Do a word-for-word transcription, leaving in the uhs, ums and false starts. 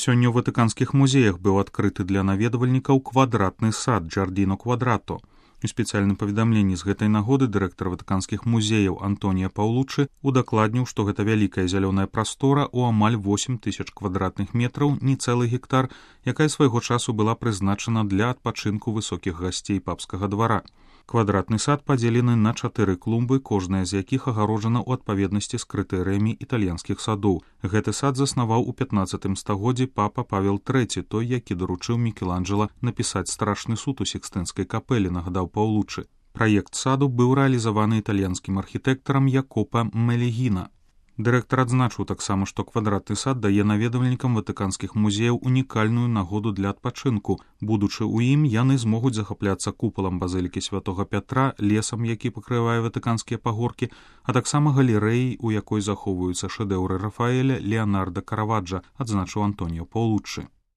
Сёння ў ватыканскіх музеях быў адкрыты для наведвальнікаў квадратны сад Джардіно Квадрато. У спецыяльным паведамленні з гэтай нагоды дырэктар ватыканскіх музеяў Антонія Паўлуччы удакладніў, што гэта вялікая зялёная прастора ў амаль восем тысяч квадратных метраў, не цэлы гектар, якая свайго часу была прызначана для адпачынку высокіх гасцей папскага двара. Квадратны сад падзелены на чатыры клумбы, кожная з якіх агароджана ў адпаведнасці з крытэрыямі італьянскіх садоў. Гэты сад заснаваў у пятнаццатым стагоддзі папа Павел трэці, той, які даручыў Мікеланджела напісаць страшны суд у Сікстынскай капэлі, нагадаў Паўлуччы. Праект саду быў рэалізаваны італьянскім архітэктарам Якопа Мелігіна. Дырэктар адзначыў таксама, што квадратны сад дае наведвальнікам ватыканскіх музеяў унікальную нагоду для адпачынку. Будучы ў ім, яны змогуць захапляцца купалам базылікі святога Пятра, лесам, які пакрывае ватыканскія пагоркі, а таксама галерэяй, у якой захоўваюцца шэдэўры Рафаэля, Леанарда, Караваджа, адзначыў Антоніо Паўлуччы.